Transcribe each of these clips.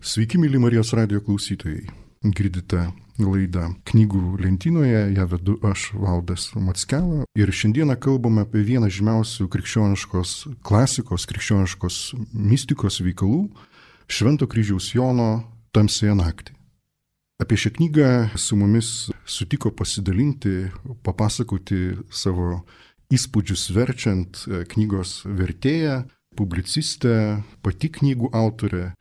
Sveiki, myli Marijos radijo klausytojai. Girdite laidą Knygų lentynoje, ją vedu aš, Valdas Mackela. Ir šiandieną kalbame apie vieną žymiausių krikščioniškos klasikos, krikščioniškos mistikos veikalų - Švento kryžiaus Jono Tamsiąją naktį. Apie šią knygą su mumis sutiko pasidalinti, papasakoti savo įspūdžius verčiant knygos vertėja, publicistė, pati knygų autorė,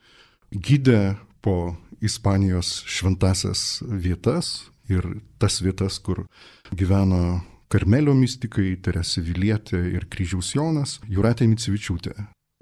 gidė po Ispanijos šventasias vietas ir tas vietas, kur gyveno Karmelio mistikai, Teresė Vilietė ir Kryžiaus Jonas, Jūratė Micevičiūtė.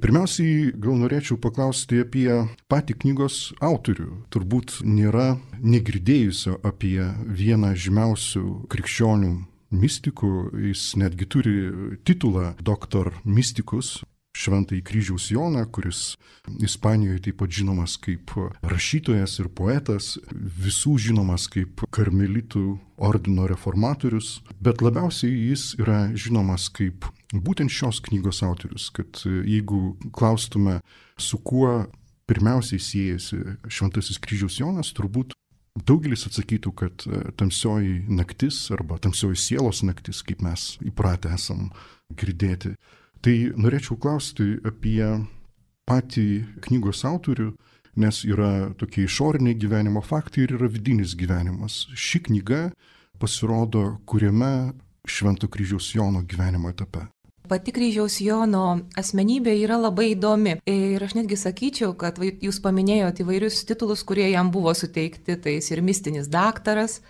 Pirmiausiai gal norėčiau paklausti apie patį knygos autorių. Turbūt nėra negirdėjusio apie vieną žymiausių krikščionių mistikų, jis netgi turi titulą Doktor Mysticus, Šventąjį Kryžiaus Joną, kuris Ispanijoje taip pat žinomas kaip rašytojas ir poetas, visų žinomas kaip karmelitų ordino reformatorius, bet labiausiai jis yra žinomas kaip būtent šios knygos autorius, kad jeigu klaustume, su kuo pirmiausiai siejasi Šventasis Kryžiaus Jonas, turbūt daugelis atsakytų, kad tamsioji naktis arba tamsioji sielos naktis, kaip mes įpratę esam girdėti. Tai norėčiau klausti apie patį knygos autorių, nes yra tokie išoriniai gyvenimo faktai ir yra vidinis gyvenimas. Ši knyga pasirodo kuriame Švento Kryžiaus Jono gyvenimo etape. Pati Kryžiaus Jono asmenybė yra labai įdomi. Ir aš netgi sakyčiau, kad jūs paminėjote įvairius titulus, kurie jam buvo suteikti. Tai jis ir mistinis daktaras,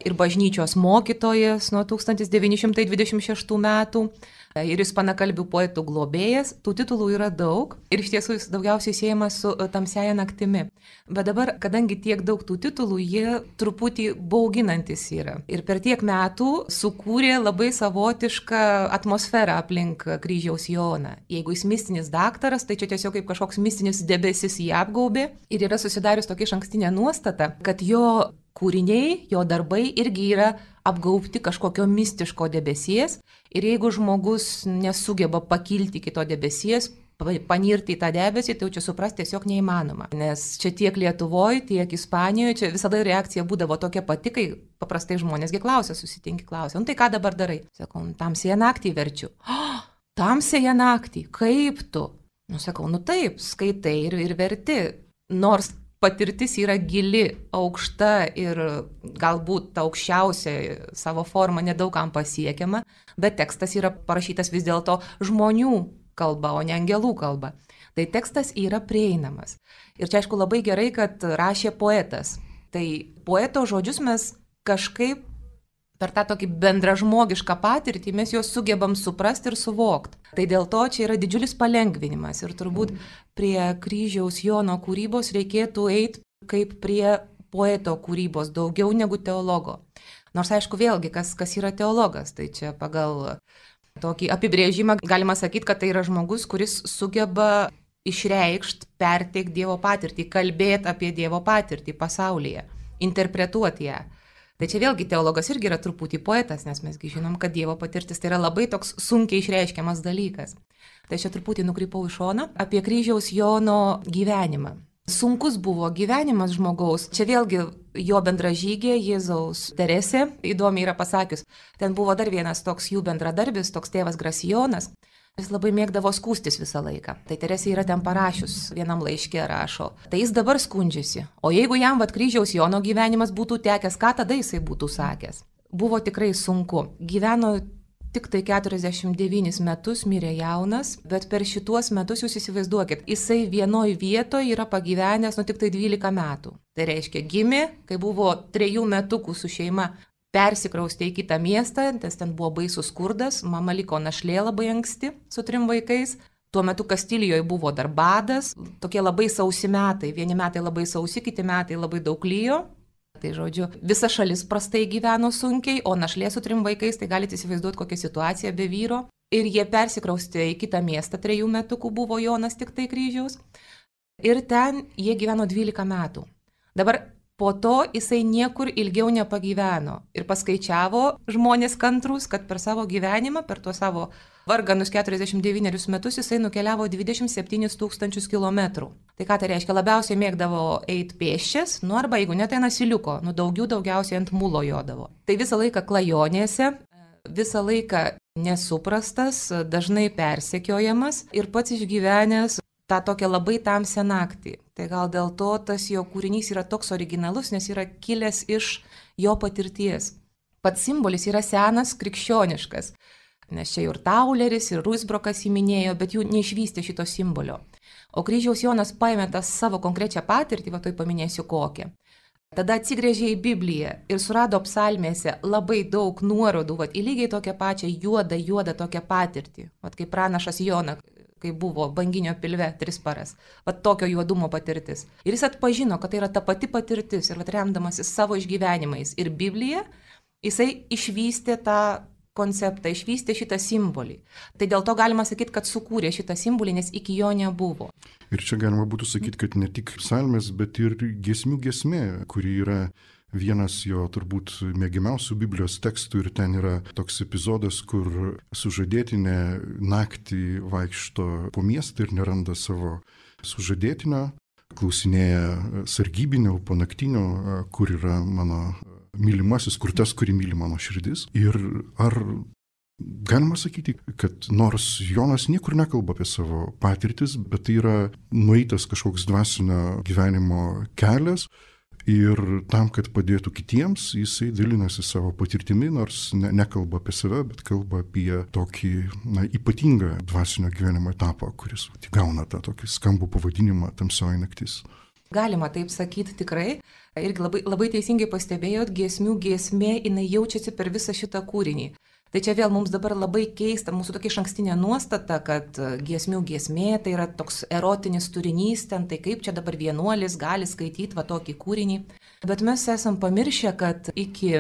ir bažnyčios mokytojas nuo 1926 metų, ir ispanakalbių poetų globėjas. Tų titulų yra daug ir iš tiesų jis daugiausiai siejamas su Tamsiąja naktimi. Bet dabar, kadangi tiek daug tų titulų, jie truputį bauginantis yra. Ir per tiek metų sukūrė labai savotišką atmosferą aplink Kryžiaus Joną. Jeigu jis mistinis daktaras, tai čia tiesiog kaip kažkoks mistinis debesis jį apgaubė. Ir yra susidarius tokia išankstinė nuostata, kad jo kūriniai, jo darbai irgi yra apgaubti kažkokio mistiško debesies. Ir jeigu žmogus nesugeba pakilti iki to debesies, panirti į tą debesį, tai jau čia suprasti tiesiog neįmanoma. Nes čia tiek Lietuvoje, tiek Ispanijoje, čia visada reakcija būdavo tokia pati, kai paprastai žmonėsgi klausia, susitinki klausia, tai ką dabar darai? Sakau, Tamsiąją naktį verčiu. Tamsiąją naktį, kaip tu? Sakau, taip, skaitai ir verti. Nors patirtis yra gili, aukšta ir galbūt aukščiausia savo forma nedaugam pasiekiama, bet tekstas yra parašytas vis dėlto žmonių kalba, o ne angelų kalba. Tai tekstas yra prieinamas. Ir čia aišku labai gerai, kad rašė poetas. Tai poeto žodžius mes kažkaip per tą tokį bendražmogišką patirtį mes juos sugebam suprasti ir suvokti. Tai dėl to čia yra didžiulis palengvinimas ir turbūt prie Kryžiaus Jono kūrybos reikėtų eiti kaip prie poeto kūrybos, daugiau negu teologo. Nors aišku vėlgi, kas yra teologas, tai čia pagal tokį apibrėžimą galima sakyti, kad tai yra žmogus, kuris sugeba išreikšti, perteikti Dievo patirtį, kalbėti apie Dievo patirtį pasaulyje, interpretuoti ją. Tai čia vėlgi teologas irgi yra truputį poetas, nes mesgi žinom, kad Dievo patirtis tai yra labai toks sunkiai išreiškiamas dalykas. Tai čia truputį nukrypau į šoną apie Kryžiaus Jono gyvenimą. Sunkus buvo gyvenimas žmogaus. Čia vėlgi jo bendražygė Jėzaus Teresė, įdomiai yra pasakius, ten buvo dar vienas toks jų bendradarbis, toks tėvas Grasijonas. Jis labai mėgdavo skūstis visą laiką. Tai Teresė yra ten parašius, vienam laiške rašo. Tai jis dabar skundžiasi. O jeigu jam Kryžiaus Jono gyvenimas būtų tekęs, ką tada jisai būtų sakęs? Buvo tikrai sunku. Gyveno tik tai 49 metus, mirė jaunas, bet per šituos metus jūs įsivaizduokit, jisai vienoj vietoje yra pagyvenęs tik tai 12 metų. Tai reiškia, gimė, kai buvo 3 metukų su šeima, persikraustė į kitą miestą, nes ten buvo baisus skurdas, mama liko našlė labai anksti su 3 vaikais. Tuo metu Kastilijoje buvo dar badas, tokie labai sausi metai, vieni metai labai sausi, kiti metai labai daug lyjo. Tai žodžiu, visa šalis prastai gyveno sunkiai, o našlė su 3 vaikais, tai galite įsivaizduoti kokią situaciją be vyro. Ir jie persikraustė į kitą miestą, 3 metukų buvo Jonas tik tai Kryžiaus. Ir ten jie gyveno 12 metų. Dabar Po to jisai niekur ilgiau nepagyveno ir paskaičiavo žmonės kantrus, kad per savo gyvenimą, per tuos savo varganus 49 metus jisai nukeliavo 27 000 kilometrų. Tai ką tai reiškia? Labiausiai mėgdavo eiti pėsčias, arba jeigu ne, tai nasiliuko, daugiausiai ant mulo jodavo. Tai visą laiką klajonėse, visą laiką nesuprastas, dažnai persekiojamas ir pats išgyvenęs tą tokią labai tamsią naktį. Tai gal dėl to tas jo kūrinys yra toks originalus, nes yra kilęs iš jo patirties. Pats simbolis yra senas, krikščioniškas, nes čia ir Tauleris, ir Ruisbrokas įminėjo, bet jų neišvystė šito simbolio. O Kryžiaus Jonas paėmė tą savo konkrečią patirtį, tai paminėsiu kokią. Tada atsigręžė į Bibliją ir surado psalmėse labai daug nuorodų, į lygiai tokią pačią juodą tokią patirtį, kaip pranašas Jona, kai buvo banginio pilve 3 paras. Tokio juodumo patirtis. Ir jis atpažino, kad tai yra ta pati patirtis ir remdamasis savo išgyvenimais ir Biblija, jisai išvystė tą konceptą, išvystė šitą simbolį. Tai dėl to galima sakyti, kad sukūrė šitą simbolį, nes iki jo nebuvo. Ir čia galima būtų sakyti, kad ne tik psalmės, bet ir giesmių giesmė, kuri yra vienas jo turbūt mėgiamiausių Biblijos tekstų ir ten yra toks epizodas, kur sužadėtinė naktį vaikšto po miestą ir neranda savo sužadėtinio, klausinėja sargybinio, ponaktinio, kur yra mano mylimasis, kur tas, kurį myli mano širdis. Ir ar galima sakyti, kad nors Jonas niekur nekalba apie savo patirtis, bet tai yra nueitas kažkoks dvasinio gyvenimo kelias, ir tam, kad padėtų kitiems, jisai dalinasi savo patirtimi, nors nekalba apie save, bet kalba apie tokį ypatingą dvasinio gyvenimo etapą, kuris gauna tą tokį skambų pavadinimą Tamsioji naktis. Galima taip sakyti tikrai. Irgi labai teisingai pastebėjot, giesmių giesmė, jinai jaučiasi per visą šitą kūrinį. Tai čia vėl mums dabar labai keista, mūsų tokia išankstinė nuostata, kad giesmių giesmė tai yra toks erotinis turinys, ten tai kaip čia dabar vienuolis gali skaityti tokį kūrinį. Bet mes esam pamiršę, kad iki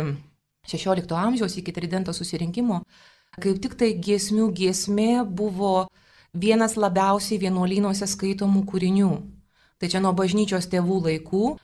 16 amžiaus, iki Tridento susirinkimo, kaip tik tai giesmių giesmė buvo vienas labiausiai vienuolynuose skaitomų kūrinių. Tai čia nuo bažnyčios tėvų laikų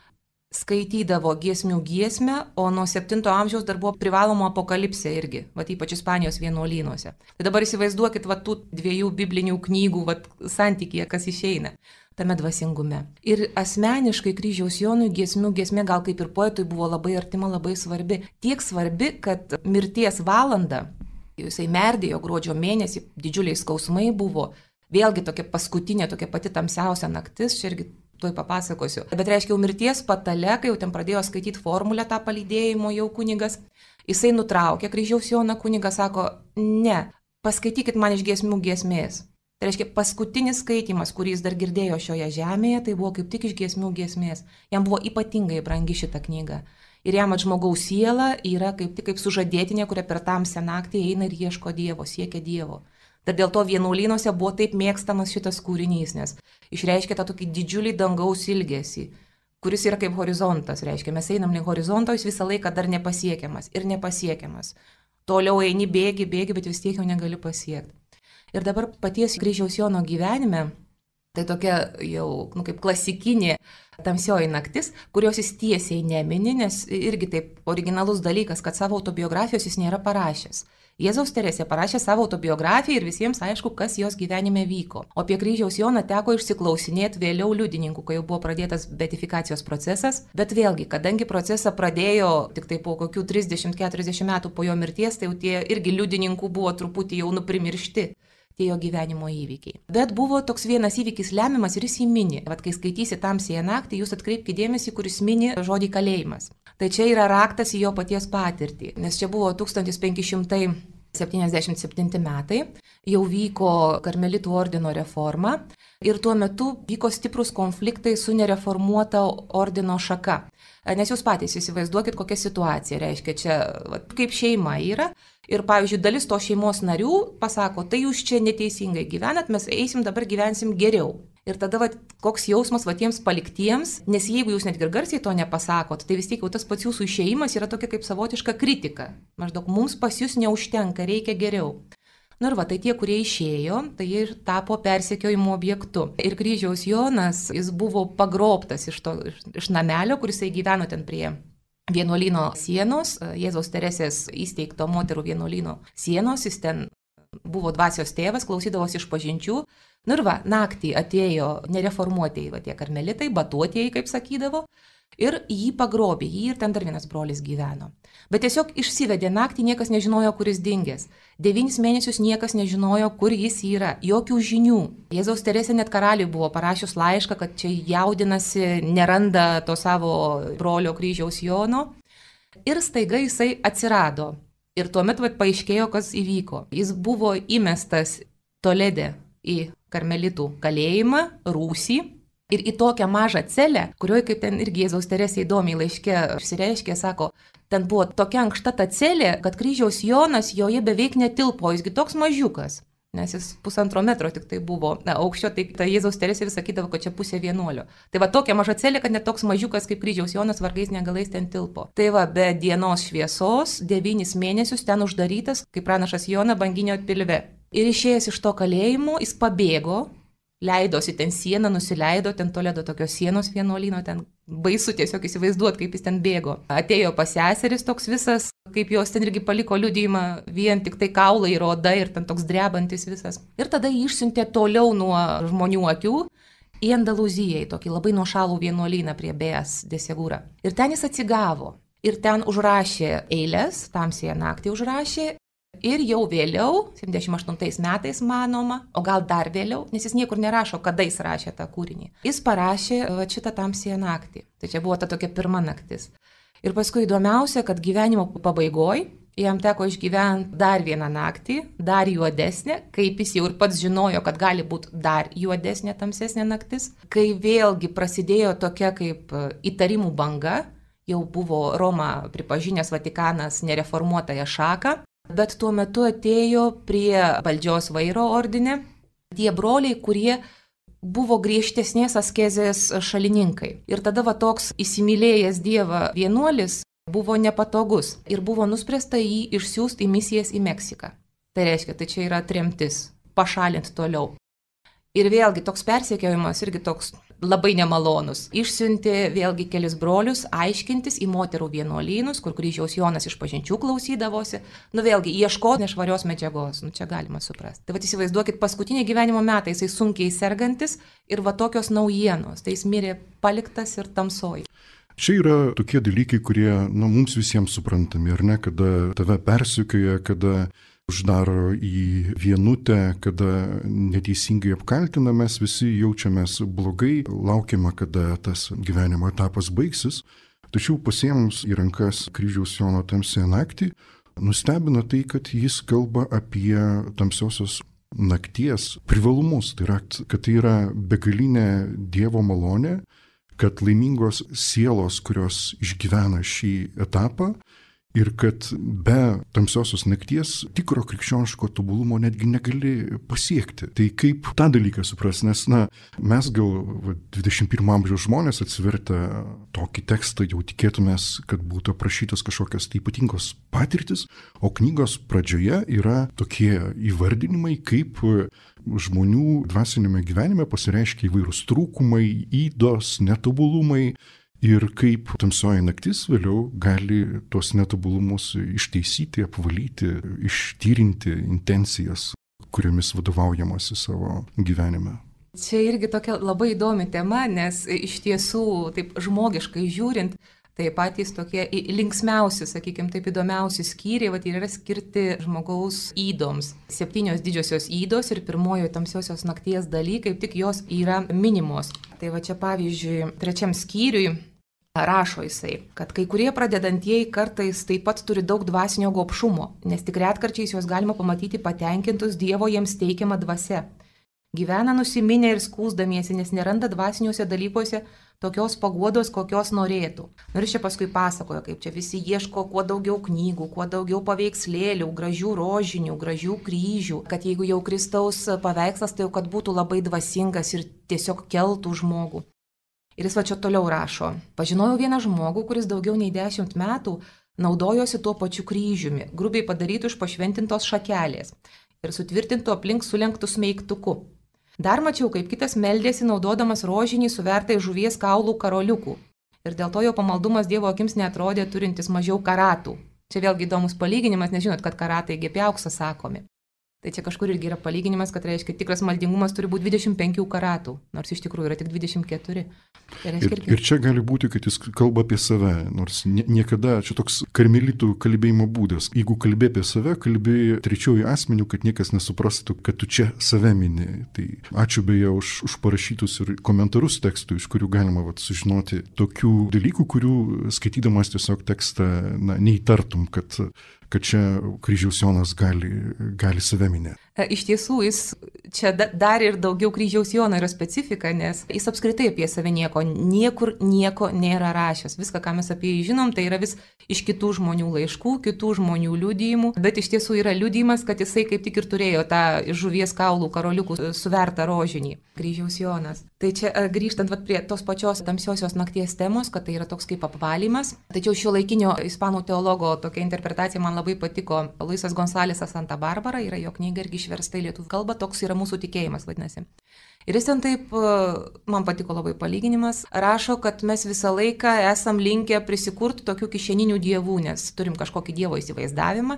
skaitydavo giesmių giesmę, o nuo 7 amžiaus dar buvo privaloma apokalipsė irgi, ypač Ispanijos vienuolynuose. Tai dabar įsivaizduokit tų 2 biblinių knygų santykyje, kas išeina tame dvasingume. Ir asmeniškai Kryžiaus Jonui giesmių giesmė gal kaip ir poetui buvo labai artima, labai svarbi. Tiek svarbi, kad mirties valandą, jisai merdėjo gruodžio mėnesį, didžiuliai skausmai buvo, vėlgi tokia paskutinė, tokia pati tamsiausia naktis, čia irgi tuoj papasakosiu. Bet reiškia, jau mirties patale, kai jau ten pradėjo skaityti formulę tą palydėjimo jau kunigas, jisai nutraukė Kryžiaus Joną, kunigas sako, ne, paskaitykit man iš giesmių giesmės. Tai reiškia, paskutinis skaitimas, kurį jis dar girdėjo šioje žemėje, tai buvo kaip tik iš giesmių giesmės. Jam buvo ypatingai brangi šita knyga. Ir jam žmogaus siela yra kaip tik kaip sužadėtinė, kuria per tamsią naktį eina ir ieško Dievo, siekia Dievo. Tad dėl to vienuolynuose buvo taip mėgstamas šitas kūrinys, nes išreiškia tą tokį didžiulį dangaus ilgesį, kuris yra kaip horizontas, reiškia, mes einam link horizonto, jis visą laiką dar nepasiekiamas ir nepasiekiamas. Toliau eini, bėgi, bet vis tiek jau negali pasiekti. Ir dabar paties Kryžiaus Jono gyvenime, tai tokia jau kaip klasikinė tamsioji naktis, kurios jis tiesiai nemini, nes irgi taip originalus dalykas, kad savo autobiografijos jis nėra parašęs. Jėzaus Teresė parašė savo autobiografiją ir visiems aišku, kas jos gyvenime vyko. O apie Kryžiaus Joną teko išsiklausinėti vėliau liudininkų, kai jau buvo pradėtas beatifikacijos procesas. Bet vėlgi, kadangi procesą pradėjo tik tai po kokių 30-40 metų po jo mirties, tai jau tie irgi liudininkų buvo truputį jau nuprimiršti tie jo gyvenimo įvykiai. Bet buvo toks vienas įvykis lemiamas ir jis jį mini. Kai skaitysi Tamsiąją naktį, jūs atkreipkite dėmesį, kuris mini žodį kalėjimas. Tai čia yra raktas į jo paties patirtį, nes čia buvo 1577 metai, jau vyko Karmelitų ordino reforma ir tuo metu vyko stiprus konfliktai su nereformuota ordino šaka. Nes jūs patys įsivaizduokit, kokia situacija reiškia čia, kaip šeima yra. Ir, pavyzdžiui, dalis to šeimos narių pasako, tai jūs čia neteisingai gyvenat, mes eisim dabar gyvensim geriau. Ir tada koks jausmas tiems paliktiems, nes jeigu jūs net ir garsiai to nepasakot, tai vis tiek jau tas pats jūsų išėjimas yra tokia kaip savotiška kritika. Maždaug mums pas jūs neužtenka, reikia geriau. Nu ir va, tai tie, kurie išėjo, tai jie ir tapo persekiojimo objektu. Ir kryžiaus Jonas, jis buvo pagrobtas iš namelio, kuris gyveno ten prie vienuolyno sienos, Jėzaus Teresės įsteigto moterų vienuolyno sienos, jis ten buvo dvasios tėvas, klausydavosi išpažinčių. Nu ir va, naktį atėjo nereformuotieji, va tie karmelitai, batuotieji, kaip sakydavo, ir jį pagrobė, jį ir ten dar vienas brolis gyveno. Bet tiesiog išsivedė naktį, niekas nežinojo, kur jis dingęs. 9 mėnesius niekas nežinojo, kur jis yra, jokių žinių. Jėzaus Teresė net karaliui buvo parašius laišką, kad čia jaudinasi, neranda to savo brolio kryžiaus Jono. Ir staiga jisai atsirado. Ir tuomet paaiškėjo, kas įvyko. Jis buvo įmestas Tolede į karmelitų kalėjimą, rūsį. Ir į tokią mažą celę, kurioje, kaip ten irgi Jėzaus Teresė įdomiai laiške išsireiškė, sako, ten buvo tokia ankšta ta celė, kad kryžiaus Jonas joje beveik netilpo, jisgi toks mažiukas, nes jis 1,5 metro tik tai buvo aukščio, tai Jėzaus Teresė vis sakydavo, kad čia pusė vienuolio. Tai va tokia maža celė, kad net toks mažiukas kaip kryžiaus Jonas vargais negalais ten tilpo. Tai va, be dienos šviesos 9 mėnesius ten uždarytas, kaip pranašas Jona banginio pilve. Ir išėjęs iš to kalėjimo, jis pabėgo. Leidosi ten sieną, nusileido, ten Toledo tokios sienos vienuolyno, ten baisu tiesiog įsivaizduot, kaip jis ten bėgo. Atėjo pas seseris toks visas, kaip jos ten irgi paliko liudijimą, vien tik tai kaulai ir oda ir ten toks drebantis visas. Ir tada jį išsiuntė toliau nuo žmonių akių į Andalūziją, į tokį labai nuošalų vienuolyną prie Beas de Segura. Ir ten jis atsigavo. Ir ten užrašė eiles, tamsiąją naktį užrašė. Ir jau vėliau, 78 metais manoma, o gal dar vėliau, nes jis niekur nerašo, kada jis rašė tą kūrinį. Jis parašė šitą tamsiąją naktį. Tai čia buvo ta tokia pirma naktis. Ir paskui įdomiausia, kad gyvenimo pabaigoje jam teko išgyventi dar vieną naktį, dar juodesnė, kaip jis jau ir pats žinojo, kad gali būti dar juodesnė, tamsesnė naktis, kai vėlgi prasidėjo tokia kaip įtarimų banga, jau buvo Roma pripažinęs Vatikanas nereformuotąją šaką. Bet tuo metu atėjo prie valdžios vairo ordine tie broliai, kurie buvo griežtesnės askezės šalininkai. Ir tada va toks įsimylėjęs Dievą vienuolis buvo nepatogus ir buvo nuspręsta jį išsiųsti į misijas į Meksiką. Tai reiškia, tai čia yra tremtis, pašalinti toliau. Ir vėlgi toks persekiojimas irgi toks labai nemalonus. Išsiuntė vėlgi kelis brolius aiškintis į moterų vienuolynus, kur kryžiaus Jonas išpažinčių klausydavosi. Nu vėlgi, ieško nešvarios medžiagos, nu čia galima suprasti. Tai va įsivaizduokit, paskutiniai gyvenimo metai jisai sunkiai sergantis ir va tokios naujienos. Tai jis mirė paliktas ir tamsoj. Čia yra tokie dalykai, kurie mums visiems suprantami, ar ne, kada tave persekioja, kada uždaro į vienutę, kada neteisingai apkaltina, mes visi jaučiamės blogai, laukiame, kada tas gyvenimo etapas baigsis. Tačiau pasiėmus į rankas kryžiaus Jono tamsiąją naktį, nustebina tai, kad jis kalba apie tamsiosios nakties privalumus. Tai yra, kad tai yra begalinė Dievo malonė, kad laimingos sielos, kurios išgyvena šį etapą, ir kad be tamsiosios nakties tikro krikščioniško tobulumo netgi negali pasiekti. Tai kaip tą dalyką supras, nes mes gal 21 amžiaus žmonės atsivertę tokį tekstą jau tikėtumės, kad būtų aprašytas kažkokios tai ypatingos patirtis, o knygos pradžioje yra tokie įvardinimai, kaip žmonių dvasinėme gyvenime pasireiškia įvairūs trūkumai, ydos, netobulumai. Ir kaip tamsioji naktis vėliau gali tuos netobulumus išteisyti, apvalyti, ištyrinti intencijas, kuriomis vadovaujamasi savo gyvenime. Čia irgi tokia labai įdomi tema, nes iš tiesų, taip žmogiškai žiūrint, tai patys tokie linksmiausi, sakykime, taip įdomiausi skyriai, va, yra skirti žmogaus ydoms. 7 didžiosios ydos ir pirmojo tamsiosios nakties daly, kaip tik jos yra minimos. Tai va čia pavyzdžiui, 3 skyriui rašo jisai, kad kai kurie pradedantieji kartais taip pat turi daug dvasinio gobšumo, nes tik retkarčiais juos galima pamatyti patenkintus Dievo jiems teikiamą dvasią. Gyvena nusiminę ir skųsdamiesi, nes neranda dvasiniuose dalykuose tokios paguodos, kokios norėtų. Ir čia paskui pasakoja, kaip čia visi ieško kuo daugiau knygų, kuo daugiau paveikslėlių, gražių rožinių, gražių kryžių, kad jeigu jau Kristaus paveikslas, tai jau kad būtų labai dvasingas ir tiesiog keltų žmogų. Ir jis va čia toliau rašo. Pažinojau vieną žmogų, kuris daugiau nei 10 metų naudojosi tuo pačiu kryžiumi, grubiai padarytų iš pašventintos šakelės. ir sutvirtintų aplink sulenktų smeigtuku. Dar mačiau, kaip kitas meldėsi naudodamas rožinį suvertą iš žuvies kaulų karoliukų. Ir dėl to jo pamaldumas Dievo akims neatrodė turintis mažiau karatų. Čia vėlgi įdomus palyginimas, nes žinot, kad karatai apie auksą sakomi. Tai čia kažkur irgi yra palyginimas, kad reiškia, tikras maldingumas turi būti 25 karatų, nors iš tikrųjų yra tik 24. Ir čia gali būti, kad jis kalba apie save, nors niekada, čia toks karmelitų kalbėjimo būdas. Jeigu kalbė apie save, kalbė trečiųjų asmenių, kad niekas nesuprastų, kad tu čia save mini. Tai ačiū beje už parašytus ir komentarus tekstui, iš kurių galima sužinoti tokių dalykų, kurių skaitydamas tiesiog tekstą neįtartum, kad čia kryžiaus Jonas gali save minėti. Iš tiesų, jis čia dar ir daugiau kryžiaus Jono yra specifika, nes jis apskritai apie save niekur nieko nėra rašęs. Viską, ką mes apie jį žinom, tai yra vis iš kitų žmonių laiškų, kitų žmonių liudijimų, bet iš tiesų yra liudijimas, kad jisai kaip tik ir turėjo tą žuvies kaulų karoliukų suvertą rožinį, kryžiaus Jonas. Tai čia grįžtant prie tos pačios tamsiosios nakties temos, kad tai yra toks kaip apvalymas. Tačiau šio laikinio ispanų teologo tokia interpretacija man labai patiko. Luisas Gonsalesas Santa Barbara, yra jo knyga irgi išversta į lietuvių kalbą, toks yra mūsų tikėjimas, vadinasi. Ir jis ten taip, man patiko labai palyginimas, rašo, kad mes visą laiką esam linkę prisikurti tokių kišeninių dievų, nes turim kažkokį dievo įsivaizdavimą.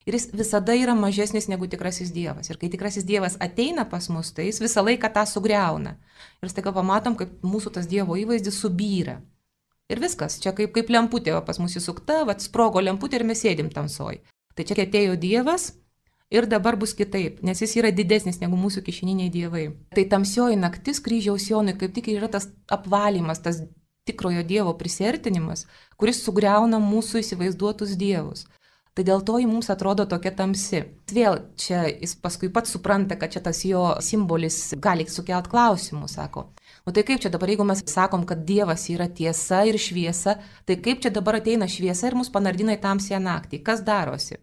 Ir jis visada yra mažesnis negu tikrasis dievas. Ir kai tikrasis dievas ateina pas mus, tai jis visą laiką tą sugriauna. Ir staiga pamatom, kaip mūsų tas dievo įvaizdis subyra. Ir viskas, čia kaip lemputė pas mus įsukta, sprogo lemputė ir mes sėdim tamsoj. Tai čia atėjo dievas ir dabar bus kitaip, nes jis yra didesnis negu mūsų kišeniniai dievai. Tai tamsioji naktis kryžiaus Jonui kaip tik yra tas apvalymas, tas tikrojo dievo prisertinimas, kuris sugriauna mūsų įsivaizduotus dievus. Tai dėl to jį mums atrodo tokia tamsi. Vėl čia jis paskui pats supranta, kad čia tas jo simbolis gali sukelt klausimų, sako. Tai kaip čia dabar, jeigu mes sakom, kad Dievas yra tiesa ir šviesa, tai kaip čia dabar ateina šviesa ir mus panardina į tamsią naktį? Kas darosi?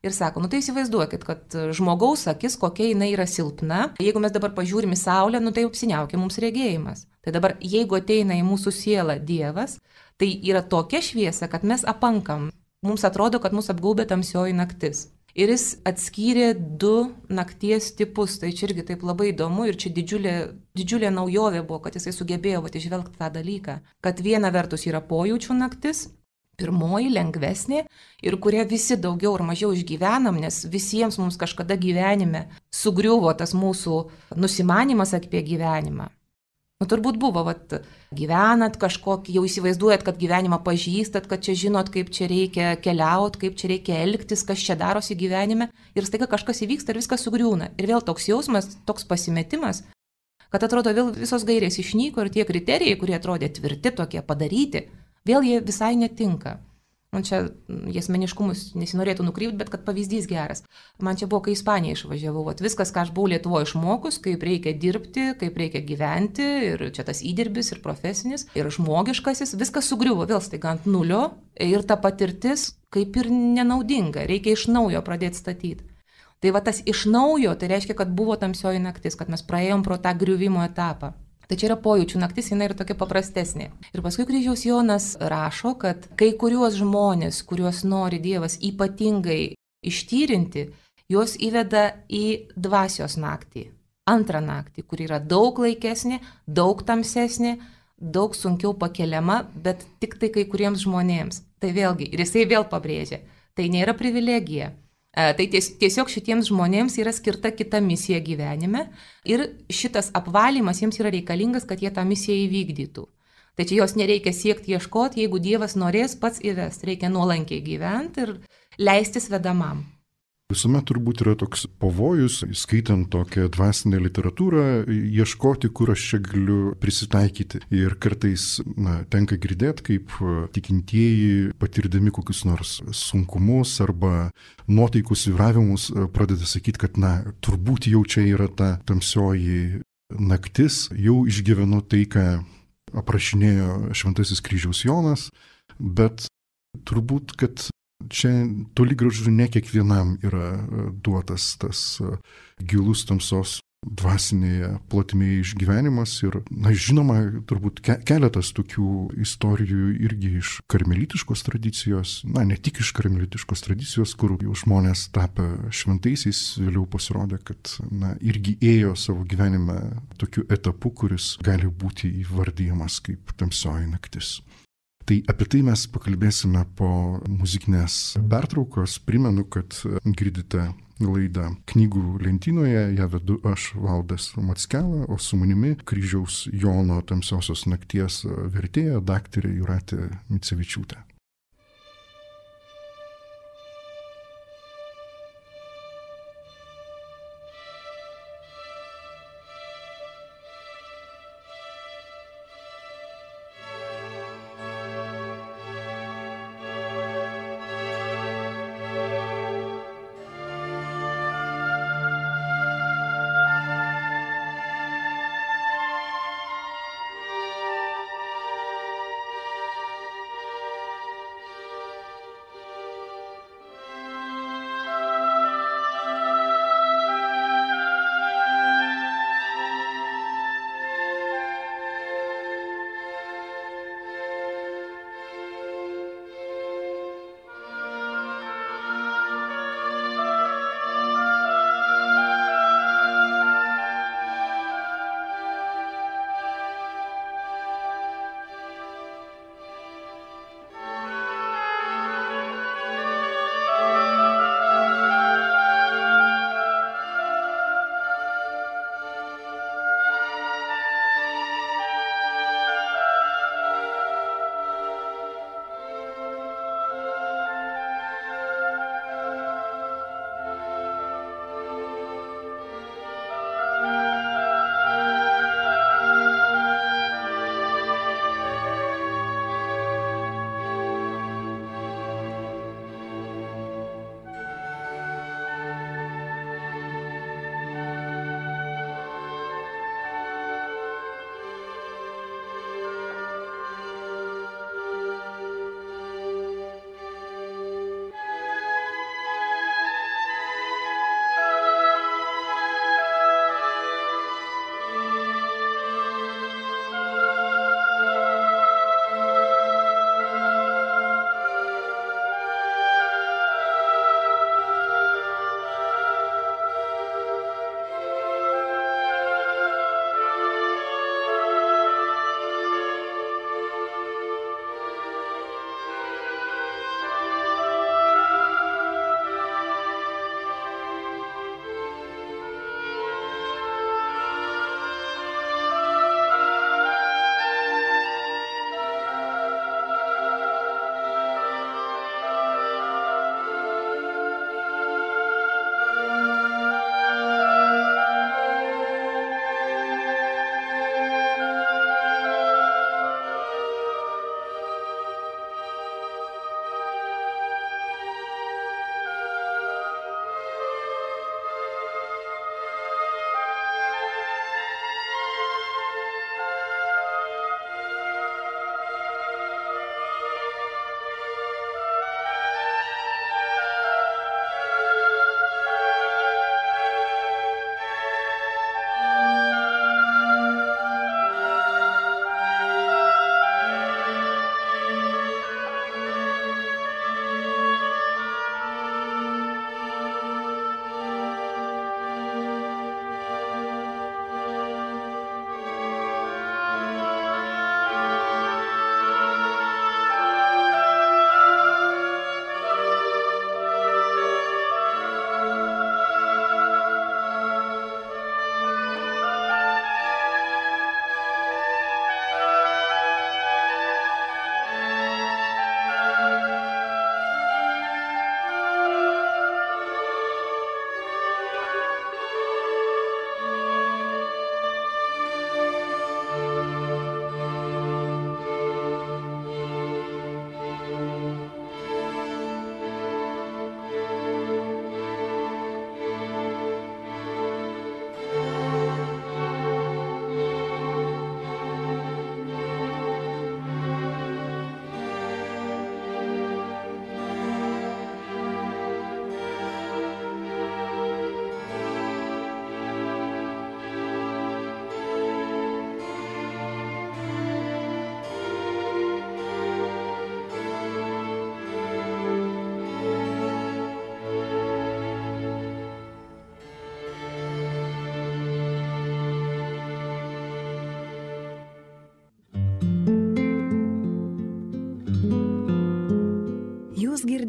Ir sako, tai įsivaizduokit, kad žmogaus akis, kokia jinai yra silpna. Jeigu mes dabar pažiūrim į saulę, tai apsiniaukia mums regėjimas. Tai dabar, jeigu ateina į mūsų sielą Dievas, tai yra tokia šviesa, kad mes apankam. Mums atrodo, kad mus apgaubė tamsioji naktis. Ir jis atskyrė 2 nakties tipus, tai čia irgi taip labai įdomu ir čia didžiulė naujovė buvo, kad jisai sugebėjo išvelgti tą dalyką, kad viena vertus yra pojūčių naktis, pirmoji lengvesnė ir kurią visi daugiau ar mažiau išgyvenam, nes visiems mums kažkada gyvenime sugriuvo tas mūsų nusimanimas apie gyvenimą. Turbūt buvo, gyvenat kažkokį, jau įsivaizduojat, kad gyvenimą pažįstat, kad čia žinot, kaip čia reikia keliauti, kaip čia reikia elgtis, kas čia darosi gyvenime ir staiga kažkas įvyksta ir viskas sugriūna. Ir vėl toks jausmas, toks pasimetimas, kad atrodo vėl visos gairės išnyko ir tie kriterijai, kurie atrodė tvirti, tokie padaryti, vėl jie visai netinka. Man čia asmeniškumus nesinorėtų nukrypti, bet kad pavyzdys geras. Man čia buvo, kai Ispaniją išvažiavau. Viskas, ką aš buvau Lietuvoje išmokus, kaip reikia dirbti, kaip reikia gyventi, ir čia tas įdirbis, ir profesinis, ir žmogiškasis, viskas sugriuvo vėl staiga ant nulio, ir ta patirtis kaip ir nenaudinga, reikia iš naujo pradėti statyti. Tai tas iš naujo, tai reiškia, kad buvo tamsioji naktis, kad mes praėjom pro tą griuvimo etapą. Tai čia yra pojūčių naktis, jinai yra tokia paprastesnė. Ir paskui kryžiaus Jonas rašo, kad kai kuriuos žmonės, kuriuos nori Dievas ypatingai ištyrinti, juos įveda į dvasios naktį. Antrą naktį, kur yra daug laikesnė, daug tamsesnė, daug sunkiau pakeliama, bet tik tai kai kuriems žmonėms. Tai vėlgi, ir jisai vėl pabrėžia, tai nėra privilegija. Tai tiesiog šitiems žmonėms yra skirta kita misija gyvenime ir šitas apvalymas jiems yra reikalingas, kad jie tą misiją įvykdytų. Tai čia jos nereikia siekti ieškoti, jeigu Dievas norės pats įvest, reikia nuolankiai gyventi ir leistis vedamam. Visuomet turbūt yra toks pavojus, skaitant tokią dvasinę literatūrą, ieškoti, kur aš čia galiu prisitaikyti. Ir kartais tenka girdėti, kaip tikintieji, patirdami kokius nors sunkumus arba nuotaikų svyravimus, pradeda sakyti, kad turbūt jau čia yra ta tamsioji naktis, jau išgyvenu tai, ką aprašinėjo Šventasis kryžiaus Jonas, bet turbūt, kad čia toli gražu ne kiekvienam yra duotas tas gilus tamsos dvasinėje plotmėje išgyvenimas ir, žinoma, turbūt keletas tokių istorijų irgi iš karmelitiškos tradicijos, ne tik iš karmelitiškos tradicijos, kur jau žmonės tapę šventaisiais vėliau pasirodė, kad, irgi ėjo savo gyvenime tokiu etapu, kuris gali būti įvardyjamas kaip tamsioji naktis. Tai apie tai mes pakalbėsime po muzikinės pertraukos. Primenu, kad girdite laidą Knygų lentynoje, ją vedu aš, Valdas Mackela, o su manimi Kryžiaus Jono tamsiosios nakties vertėja daktarė Jūratė Micevičiūtė.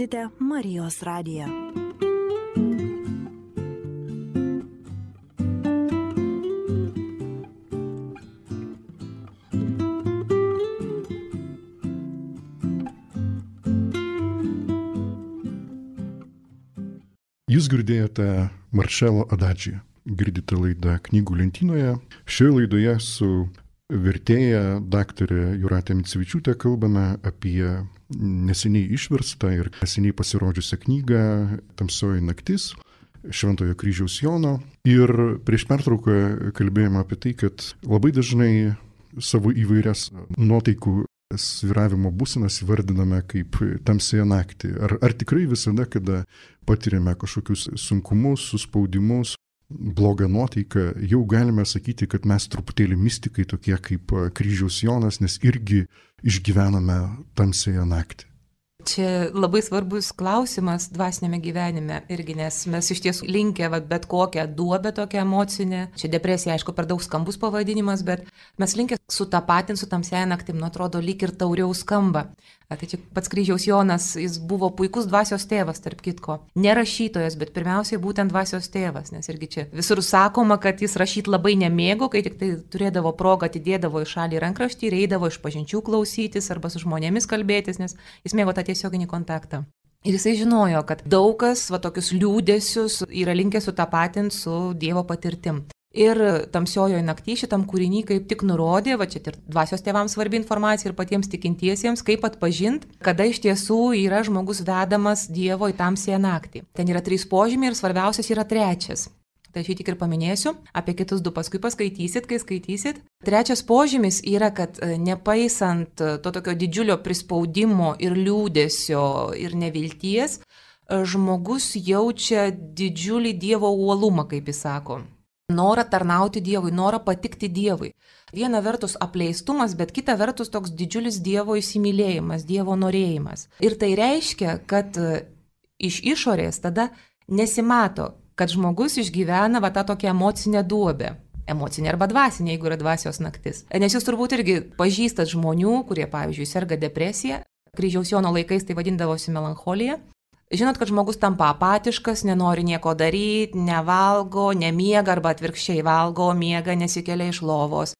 girdite Marijos radiją. Jūs girdėjote Marcello Adagį. Girdite laidą Knygų lentynoje. Šioje laidoje su vertėja daktarė Jūratė Micevičiūtė kalbame apie neseniai išverstą ir neseniai pasirodžiusią knygą Tamsioji naktis Šventojo Kryžiaus Jono. Ir prieš pertrauką kalbėjome apie tai, kad labai dažnai savo įvairias nuotaikų svyravimo būsenas įvardiname kaip tamsiąją naktį. Ar tikrai visada, kada patiriame kažkokius sunkumus, suspaudimus, blogą nuotaiką, jau galime sakyti, kad mes truputėlį mistikai tokie kaip Kryžiaus Jonas, nes irgi išgyvename tamsiąją naktį? Čia labai svarbus klausimas dvasinėme gyvenime irgi, nes mes iš tiesų linkę bet kokią duobę tokią emocinę. Čia depresija, aišku, per daug skambus pavadinimas, bet mes linkę sutapatinti su tamsiąja naktim, atrodo, lyg ir tauriau skamba. Tai čia pats Kryžiaus Jonas, jis buvo puikus dvasios tėvas, tarp kitko. Ne rašytojas, bet pirmiausiai būtent dvasios tėvas, nes irgi čia visur sakoma, kad jis rašyti labai nemėgo, kai tik tai turėdavo progą, atidėdavo į šalį rankraštį ir eidavo išpažinčių klausytis arba su žmonėmis kalbėtis, nes jis mėgo tą tiesioginį kontaktą. Ir jisai žinojo, kad daug kas tokius liūdesius yra linkę sutapatinti su Dievo patirtim. Ir Tamsiojoje nakty šitam kūriny kaip tik nurodė, čia ir dvasios tėvams svarbi informacija ir patiems tikintiesiems, kaip atpažinti, kada iš tiesų yra žmogus vedamas Dievo į tamsiąją naktį. Ten yra 3 požymiai ir svarbiausias yra 3. Tai aš jį tik ir paminėsiu, apie kitus 2 paskui paskaitysit, kai skaitysit. 3 požymis yra, kad nepaisant to tokio didžiulio prispaudimo ir liūdesio ir nevilties, žmogus jaučia didžiulį Dievo uolumą, kaip jis sako. Norą tarnauti Dievui, norą patikti Dievui. Viena vertus apleistumas, bet kita vertus toks didžiulis Dievo įsimylėjimas, Dievo norėjimas. Ir tai reiškia, kad iš išorės tada nesimato, kad žmogus išgyvena tą tokią emocinę duobę. Emocinė arba dvasinė, jeigu yra dvasios naktis. Nes jūs turbūt irgi pažįstat žmonių, kurie, pavyzdžiui, serga depresija. Kryžiaus Jono laikais tai vadindavosi melancholija. Žinot, kad žmogus tampa apatiškas, nenori nieko daryti, nevalgo, nemiega arba atvirkščiai valgo, miega, nesikelia iš lovos.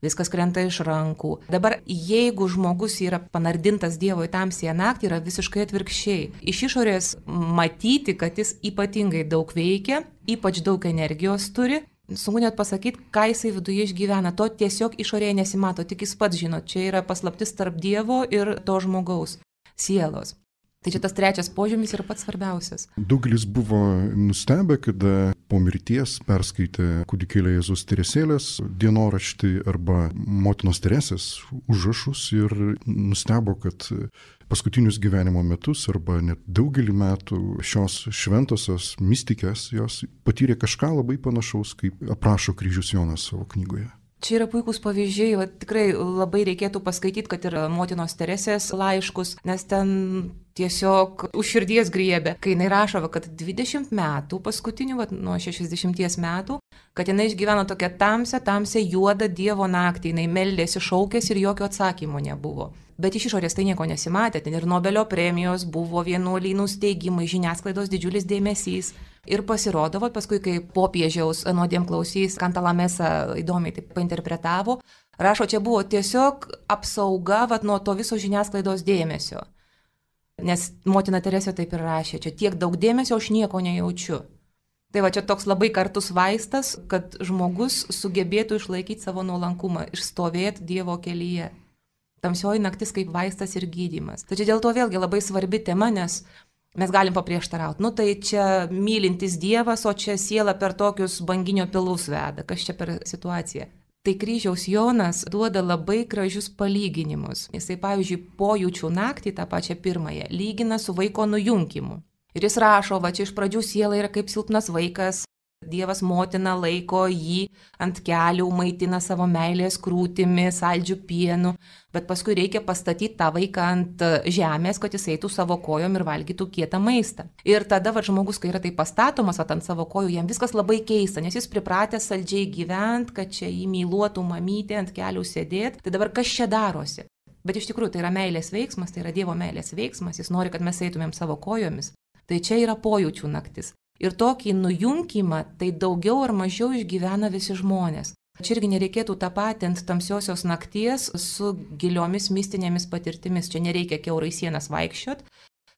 Viskas krenta iš rankų. Dabar, jeigu žmogus yra panardintas Dievo į tamsiąją naktį, yra visiškai atvirkščiai. Iš išorės matyti, kad jis ypatingai daug veikia, ypač daug energijos turi. Sunku net pasakyti, ką jisai viduje išgyvena. To tiesiog išorėje nesimato, tik jis pats žino. Čia yra paslaptis tarp Dievo ir to žmogaus sielos. Tai čia tas 3 požymis yra pats svarbiausias. Daugelis buvo nustebę, kada po mirties perskaitė kūdikėlio Jėzaus Teresėlės dienoraštį arba motinos Teresės užrašus ir nustebo, kad paskutinius gyvenimo metus arba net daugelį metų šios šventosios mistikės jos patyrė kažką labai panašaus, kaip aprašo Kryžius Jonas savo knygoje. Čia yra puikūs pavyzdžiai, tikrai labai reikėtų paskaityti, kad ir motinos Teresės laiškus, nes ten tiesiog už širdies griebė, kai jinai rašo, kad 20 metų, paskutinių, nuo 60 metų, kad jinai išgyveno tokią tamsią juodą Dievo naktį, jinai meldėsi, šaukėsi ir jokio atsakymo nebuvo. Bet iš išorės tai nieko nesimatė, ten ir Nobelio premijos buvo, vienuolynų steigimai, žiniasklaidos didžiulis dėmesys. Ir pasirodo, paskui, kai popiežiaus nuodėmklausys Kantalamesa įdomiai taip painterpretavo, rašo, čia buvo tiesiog apsauga nuo to viso žiniasklaidos dėmesio. Nes motina Teresė taip ir rašė, čia tiek daug dėmesio, aš nieko nejaučiu. Tai čia toks labai kartus vaistas, kad žmogus sugebėtų išlaikyti savo nuolankumą, išstovėti Dievo kelyje. Tamsioji naktis kaip vaistas ir gydymas. Tačiau dėl to vėlgi labai svarbi tema, nes mes galim paprieštarauti. Tai čia mylintis Dievas, o čia siela per tokius banginio pilus veda. Kas čia per situaciją? Tai Kryžiaus Jonas duoda labai gražius palyginimus. Jisai, pavyzdžiui, pojūčių naktį, tą pačią pirmąją, lygina su vaiko nujunkimu. Ir jis rašo, čia iš pradžių siela yra kaip silpnas vaikas. Dievas motina laiko jį ant kelių, maitina savo meilės krūtimi, saldžių pienu, bet paskui reikia pastatyti tą vaiką ant žemės, kad jis eitų savo kojom ir valgytų kietą maistą. Ir tada žmogus, kai yra tai pastatomas ant savo kojų, jam viskas labai keista, nes jis pripratęs saldžiai gyventi, kad čia jį myluotų mamytė, ant kelių sėdėti. Tai dabar kas čia darosi? Bet iš tikrųjų tai yra meilės veiksmas, tai yra Dievo meilės veiksmas, jis nori, kad mes eitumėm savo kojomis. Tai čia yra pojūčių naktis. Ir tokį nujungimą tai daugiau ar mažiau išgyvena visi žmonės. Čia irgi nereikėtų tapatinti tamsiosios nakties su giliomis mistinėmis patirtimis. Čia nereikia kiaurai sienas vaikščiot,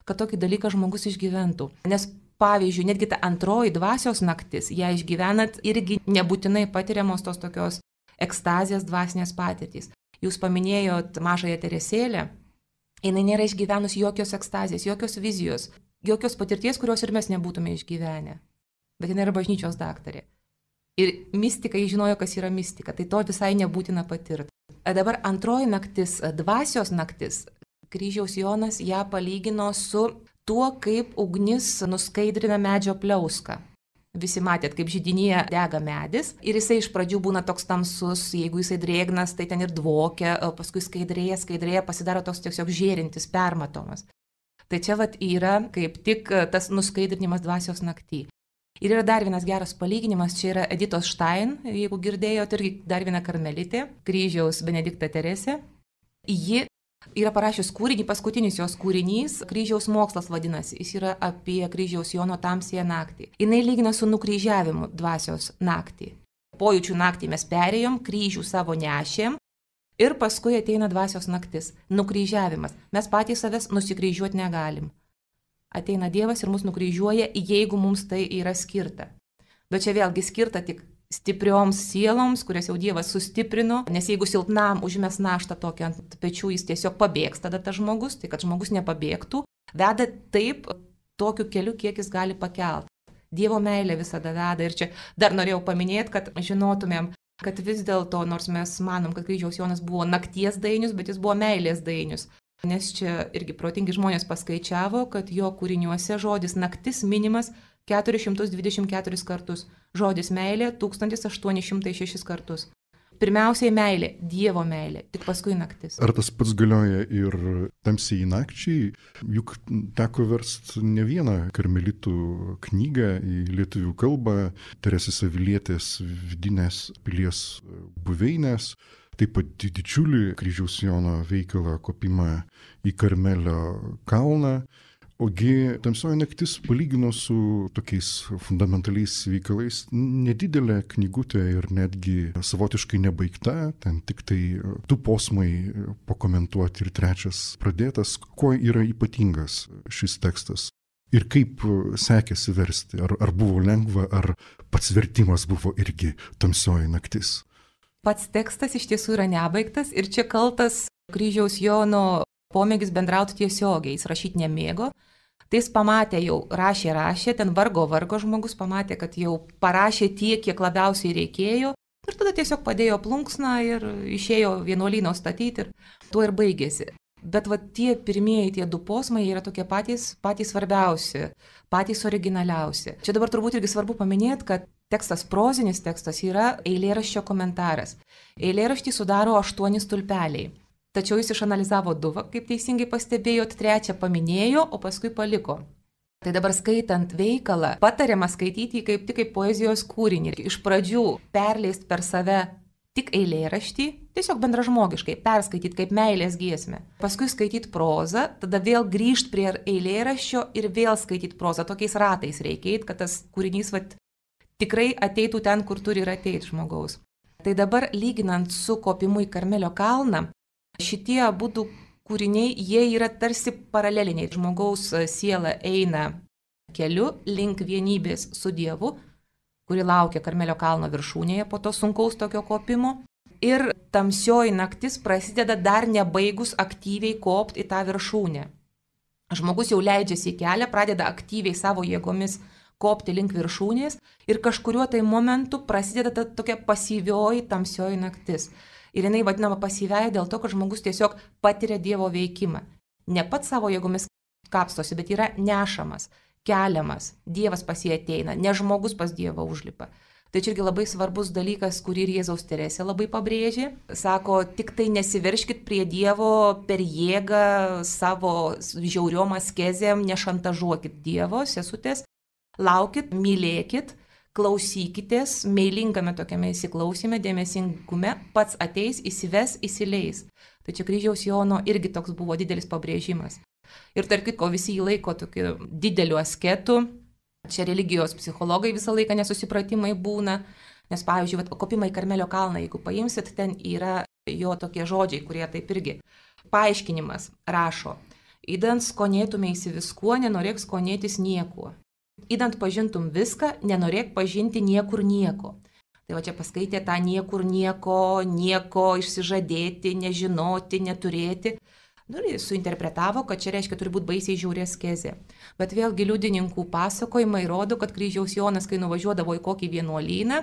kad tokį dalyką žmogus išgyventų. Nes pavyzdžiui, netgi ta antroji dvasios naktis, ją išgyvenat irgi nebūtinai patiriamos tos tokios ekstazijos dvasinės patirtys. Jūs paminėjot mažąją Teresėlę, jinai nėra išgyvenus jokios ekstazijos, jokios vizijos, jokios patirties, kurios ir mes nebūtume išgyvenę. Bet jinai yra bažnyčios daktarė. Ir mistikai žinojo, kas yra mistika, tai to visai nebūtina patirti. Dabar antroji naktis, dvasios naktis, Kryžiaus Jonas ją palygino su tuo, kaip ugnis nuskaidrina medžio pliauską. Visi matėt, kaip židinyje dega medis ir jisai iš pradžių būna toks tamsus, jeigu jisai drėgnas, tai ten ir dvokia, o paskui skaidrėja, pasidaro toks tiesiog žėrintis, permatomas. Tai čia yra kaip tik tas nuskaidrinimas dvasios naktį. Ir yra dar vienas geras palyginimas, čia yra Editos Štain, jeigu girdėjote, irgi dar viena karmelitė, Kryžiaus Benedikta Teresė. Ji yra parašius kūrinį, paskutinis jos kūrinys, Kryžiaus mokslas vadinasi, jis yra apie Kryžiaus Jono tamsiąją naktį. Jis lygina su nukryžiavimu dvasios naktį. Pojūčių naktį mes perėjom, kryžių savo nešėm ir paskui ateina dvasios naktis, nukryžiavimas. Mes patys savęs nusikryžiuoti negalim. Ateina Dievas ir mus nukryžiuoja, jeigu mums tai yra skirta. Bet čia vėlgi skirta tik stiprioms sieloms, kurias jau Dievas sustiprino, nes jeigu silpnam užmes naštą tokią ant pečių, jis tiesiog pabėgs tada tas žmogus, tai kad žmogus nepabėgtų, veda taip tokiu keliu, kiek jis gali pakelt. Dievo meilė visada veda ir čia dar norėjau paminėti, kad žinotumėm, kad vis dėlto, nors mes manom, kad Kryžiaus Jonas buvo nakties dainius, bet jis buvo meilės dainius. Nes čia irgi protingi žmonės paskaičiavo, kad jo kūriniuose žodis naktis minimas 424 kartus, žodis meilė 1806 kartus. Pirmiausiai meilė, Dievo meilė, tik paskui naktis. Ar tas pats galioja ir tamsiai nakčiai? Juk teko versti ne vieną karmelitų knygą į lietuvių kalbą, Teresės Avilietės vidinės pilies buveinės. Taip pat didžiulį Kryžiaus Jono veikalą Kopimą į Karmelio kalną. Ogi tamsioji naktis palygino su tokiais fundamentaliais veikalais nedidelė knygutė ir netgi savotiškai nebaigta, ten tik tai 2 posmai pakomentuoti ir 3 pradėtas. Kuo yra ypatingas šis tekstas? Ir kaip sekėsi versti? Ar buvo lengva, ar pats vertimas buvo irgi tamsioji naktis? Pats tekstas iš tiesų yra nebaigtas ir čia kaltas Kryžiaus Jono pomėgis bendrauti tiesiogiai, jis rašyti nemėgo. Tai jis pamatė jau, rašė, ten vargo žmogus pamatė, kad jau parašė tiek, kiek labiausiai reikėjo ir tada tiesiog padėjo plunksną ir išėjo vienuolyno statyti ir tuo ir baigėsi. Bet tie pirmieji, tie 2 posmai yra tokie patys svarbiausi, patys originaliausi. Čia dabar turbūt irgi svarbu paminėti, kad tekstas, prozinis tekstas yra eilėraščio komentaras. Eilėraštį sudaro 8 stulpeliai. Tačiau jis išanalizavo 2, kaip teisingai pastebėjot, 3 paminėjo, o paskui paliko. Tai dabar skaitant veikalą, patariama skaityti kaip tik kaip poezijos kūrinį. Iš pradžių perleist per save tik eilėraštį, tiesiog bendražmogiškai perskaityti kaip meilės giesmę. Paskui skaityti prozą, tada vėl grįžti prie eilėraščio ir vėl skaityti prozą. Tokiais ratais reikia, kad tas kūrinys tikrai ateitų ten, kur turi ir ateiti žmogaus. Tai dabar lyginant su Kopimu į Karmelio kalną, šitie abudu kūriniai, jie yra tarsi paraleliniai. Žmogaus siela eina keliu link vienybės su Dievu, kuri laukia Karmelio kalno viršūnėje po to sunkaus tokio kopimo. Ir tamsioji naktis prasideda dar nebaigus aktyviai kopti į tą viršūnę. Žmogus jau leidžiasi į kelią, pradeda aktyviai savo jėgomis kopti link viršūnės ir kažkuriuo tai momentu prasideda ta tokia pasyvioji tamsioji naktis. Ir jinai vadinama pasyviaja dėl to, kad žmogus tiesiog patiria Dievo veikimą. Ne pats savo jėgomis kapstosi, bet yra nešamas, keliamas, Dievas pas jį ateina, ne žmogus pas Dievą užlipa. Tai čia irgi labai svarbus dalykas, kurį ir Jėzaus Teresė labai pabrėžė. Sako, tik tai nesiverškit prie Dievo per jėgą savo žiauriom askezėm, nešantažuokit Dievo, sesutės, laukit, mylėkit, klausykitės, meilingame tokiame įsiklausime, dėmesingume, pats ateis, įsives, įsileis. Tai čia kryžiaus Jono irgi toks buvo didelis pabrėžimas. Ir tarp kitko visi jį laiko tokiu dideliu asketu. Čia religijos psichologai visą laiką nesusipratimai būna. Nes, pavyzdžiui, kopimai į Karmelio kalną, jeigu paimsit, ten yra jo tokie žodžiai, kurie taip irgi. Paaiškinimas rašo. Idant skonėtumeisi viskuo, nenorėk skonėtis niekuo. Idant pažintum viską, nenorėk pažinti niekur nieko. Tai va čia paskaitė tą niekur nieko išsižadėti, nežinoti, neturėti. Ir suinterpretavo, kad čia reiškia turi būti baisiai žiauri askezė. Bet vėlgi liudininkų pasakojimai rodo, kad kryžiaus Jonas, kai nuvažiuodavo į kokį vienuolyną,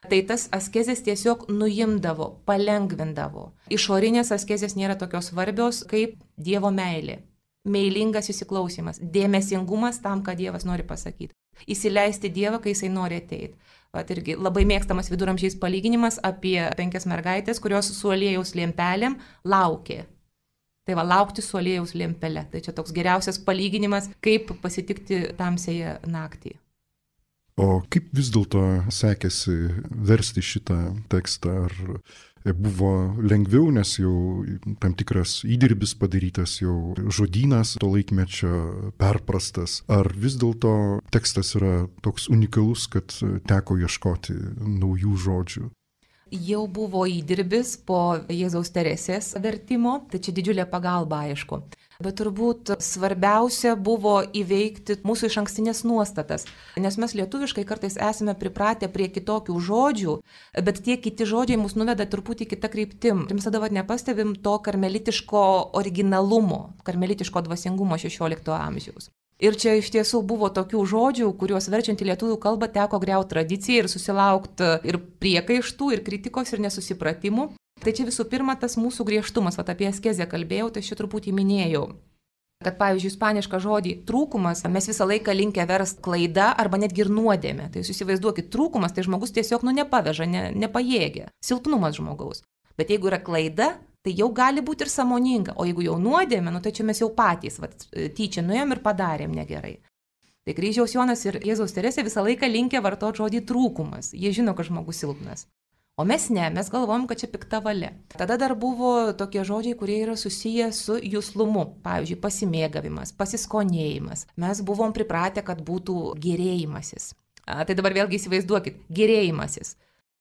tai tas askezės tiesiog nuimdavo, palengvindavo. Išorinės askezės nėra tokios svarbios kaip Dievo meilė. Meilingas įsiklausimas, dėmesingumas tam, ką Dievas nori pasakyti. Įsileisti Dievą, kai jisai nori ateiti. Vat irgi labai mėgstamas viduramžiais palyginimas apie 5 mergaitės, kurios su aliejaus lempelėm laukė. Tai va, laukti su aliejaus lempele. Tai čia toks geriausias palyginimas, kaip pasitikti tamsiąją naktį. O kaip vis dėlto sekėsi versti šitą tekstą? Ar buvo lengviau, nes jau tam tikras įdirbis padarytas, jau žodynas to laikmečio perprastas? Ar vis dėlto tekstas yra toks unikalus, kad teko ieškoti naujų žodžių? Jau buvo įdirbis po Jėzaus Teresės vertimo, tai čia didžiulė pagalba, aišku. Bet turbūt svarbiausia buvo įveikti mūsų išankstinės nuostatas, nes mes lietuviškai kartais esame pripratę prie kitokių žodžių, bet tie kiti žodžiai mus nuveda truputį kitą kryptim. Ir mes tada nepastebim to karmelitiško originalumo, karmelitiško dvasingumo 16 amžiaus. Ir čia iš tiesų buvo tokių žodžių, kuriuos verčiant į lietuvių kalbą teko griauti tradiciją ir susilaukti ir priekaištų, ir kritikos, ir nesusipratimų. Tai čia visų pirma tas mūsų griežtumas, apie askezę kalbėjau, tai šį truputį minėjau. Kad pavyzdžiui, ispanišką žodį trūkumas mes visą laiką linkę verst klaida arba netgi ir nuodėmė. Tai jūs įsivaizduokit, trūkumas tai žmogus tiesiog nepaveža, nepajėgia, silpnumas žmogaus. Bet jeigu yra klaida, tai jau gali būti ir sąmoninga, o jeigu jau nuodėmė, tai čia mes jau patys tyčia nuėjom ir padarėm negerai. Tai kryžiaus Jonas ir Jėzaus Teresė visą laiką linkę vartoti žodį trūkumas, jie žino, kad žmogus silpnas. O mes ne, mes galvojam, kad čia pikta valia. Tada dar buvo tokie žodžiai, kurie yra susiję su juslumu, pavyzdžiui, pasimėgavimas, pasiskonėjimas. Mes buvom pripratę, kad būtų gėrėjimasis. Tai dabar vėlgi įsivaizduokit, gėrėjimasis.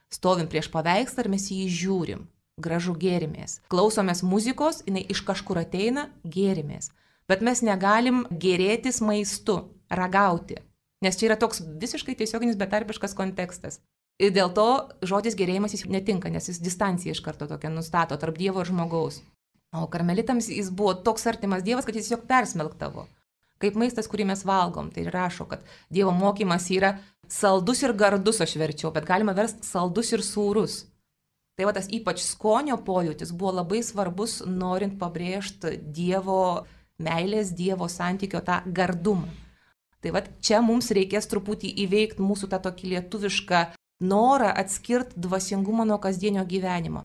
Stovim prieš paveikslą ir mes jį žiūrim. Gražu gėrimės. Klausomės muzikos, jinai iš kažkur ateina, gėrimės. Bet mes negalim gėrėtis maistu, ragauti. Nes čia yra toks visiškai tiesioginis betarpiškas kontekstas. Ir dėl to žodis gėrėjimas jis netinka, nes jis distanciją iš karto tokią nustato tarp Dievo ir žmogaus. O karmelitams jis buvo toks artimas Dievas, kad jis tiesiog persmelktavo. Kaip maistas, kurį mes valgom. Tai rašo, kad Dievo mokymas yra saldus ir gardus, aš verčiau, bet galima versti saldus ir sūrus. Tai va tas ypač skonio pojūtis buvo labai svarbus, norint pabrėžti Dievo meilės, Dievo santykio tą gardumą. Tai va čia mums reikės truputį įveikti mūsų tą tokį lietuvišką norą atskirti dvasingumą nuo kasdienio gyvenimo.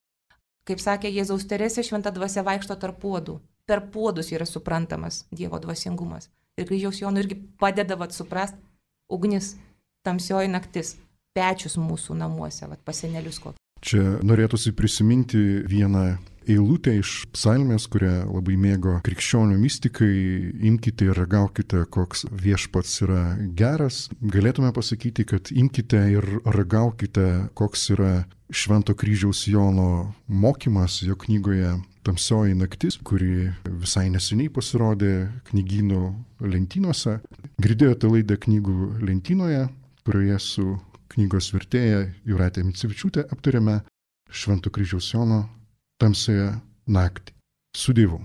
Kaip sakė Jėzaus Teresė, šventa dvasia vaikšto tarp puodų. Per puodus yra suprantamas Dievo dvasingumas. Ir kryžiaus Jonui irgi padeda suprasti ugnis, tamsioji naktis, pečius mūsų namuose, pas senelius kokį. Čia norėtųsi prisiminti vieną eilutę iš psalmės, kurią labai mėgo krikščionių mistikai. Imkite ir ragaukite, koks viešpats yra geras. Galėtume pasakyti, kad imkite ir ragaukite, koks yra Švento kryžiaus Jono mokymas jo knygoje Tamsioji naktis, kuri visai neseniai pasirodė knygynų lentynose. Girdėjote laidą Knygų lentynoje, kurioje su knygos vertėja Jūratė Micevičiūtė aptarėme Švento kryžiaus Jono Tamsiąją naktį. Su Dievu.